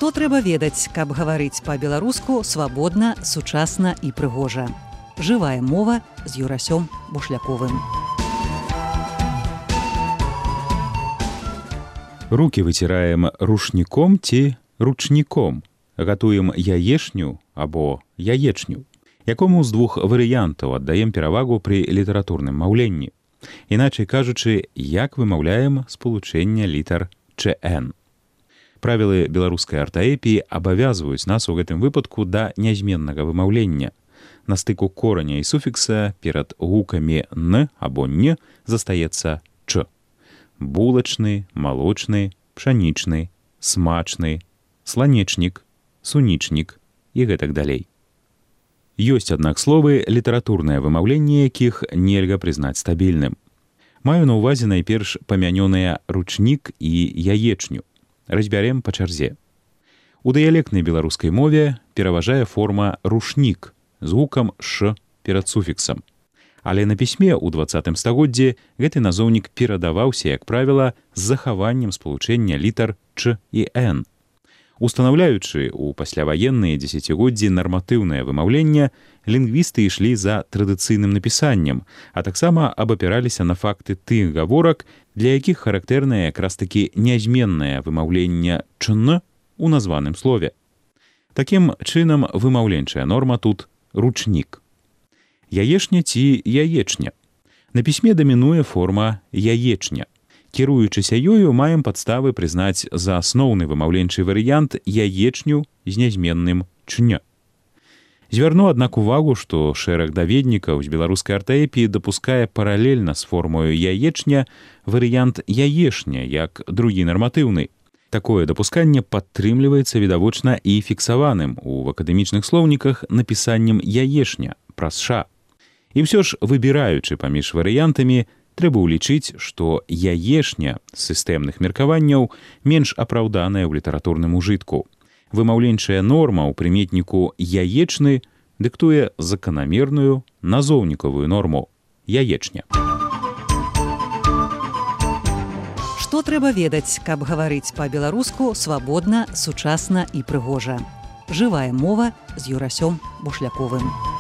Што трэба ведаць, каб гаварыць па-беларуску свабодна, сучасна і прыгожа. Жывая мова з Юрасём Бушляковым. Рукі выціраем рушніком ці ручніком. Гатуем яешню або яечню. Якому з двух варыянтаў аддаем перавагу пры літаратурным маўленні. Іначай кажучы, як вымаўляем спалучэнне літар ЧН. Правілы беларускай артаэпіі абавязваюць нас у гэтым выпадку да нязменнага вымаўлення. На стыку кораня і суфікса перад гукамі «н» або «н» застаецца «ч». Булачны, малочны, пшанічны, смачны, сланечнік, сунічнік і гэтак далей. Ёсць, аднак, словы, літаратурнае вымаўленне якіх нельга прызнаць стабільным. Маю на ўвазе найперш памянёныя ручнік і яечню. Разбярем па чарзе. У дыялектнай беларускай мове пераважае форма рушнік з гукам «ш» перад суфіксам. Але на пісьме ў 20 стагоддзі гэты назоўнік перадаваўся, як правіла, з захаваннем спалучэння літар «ч» і «н». Устанаўляючы ў пасляваенныя дзесяцігоддзі нарматыўнае вымаўленне, лінгвісты ішлі за традыцыйным напісаннем, а таксама абапіраліся на факты тых гаворак, для якіх характэрнае якраз-такі нязменнае вымаўленне «чн» у названым слове. Такім чынам вымаўленчая норма тут ручнік. Яешня ці яечня. На пісьме дамінуе форма яечня. Кіруючыся ёю, маем падставы прызнаць за асноўны вымаўленчы варыянт яечню з нязменным «чня». Звярну, аднак, увагу, што шэраг даведнікаў з беларускай артаэпіі дапускае паралельна з формою яечня варыянт яешня, як другі нарматыўны. Такое дапусканне падтрымліваецца відавочна і фіксаваным у акадэмічных слоўніках напісаннем яешня праз «ша». І ўсё ж, выбіраючы паміж варыянтамі, трэба ўлічыць, што яешня з сістэмных меркаванняў менш апраўданая ў літаратурным ужытку. Вымаўленчая норма ў прыметніку яечны дыктуе заканамерную назоўнікавую норму яечня. Што трэба ведаць, каб гаварыць па-беларуску свабодна, сучасна і прыгожа. Жывая мова з Юрасём Бушляковым.